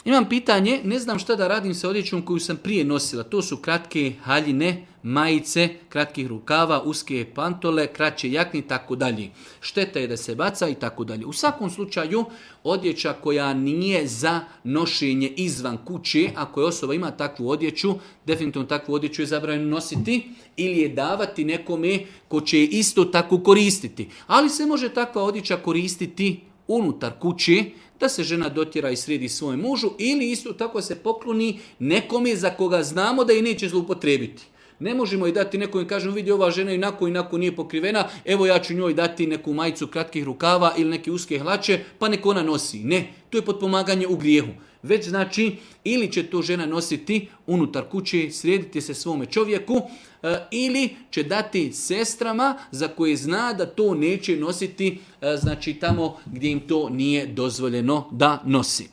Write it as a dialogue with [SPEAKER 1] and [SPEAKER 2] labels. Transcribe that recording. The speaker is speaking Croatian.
[SPEAKER 1] Imam pitanje, ne znam šta da radim sa odjećom koju sam prije nosila. To su kratke haljine, majice, kratkih rukava, uske pantole, kraće jakne i tako dalje. Šteta je da se baca i tako dalje. U svakom slučaju, odjeća koja nije za nošenje izvan kuće, ako je osoba ima takvu odjeću, definitivno takvu odjeću je zabranjeno nositi ili je davati nekome ko će je isto tako koristiti. Ali se može takva odjeća koristiti unutar kuće, da se žena dotjera i sredi svojem mužu ili isto tako se pokloni nekome za koga znamo da je neće zloupotrijebiti. Ne možemo i dati nekom i kažemo vidi ova žena inako nije pokrivena, evo ja ću njoj dati neku majicu kratkih rukava ili neke uske hlače pa nek ona nosi. Ne, to je potpomaganje u grijehu. Već znači ili će to žena nositi unutar kuće, srediti se svome čovjeku ili će dati sestrama za koje zna da to neće nositi znači tamo gdje im to nije dozvoljeno da nosi.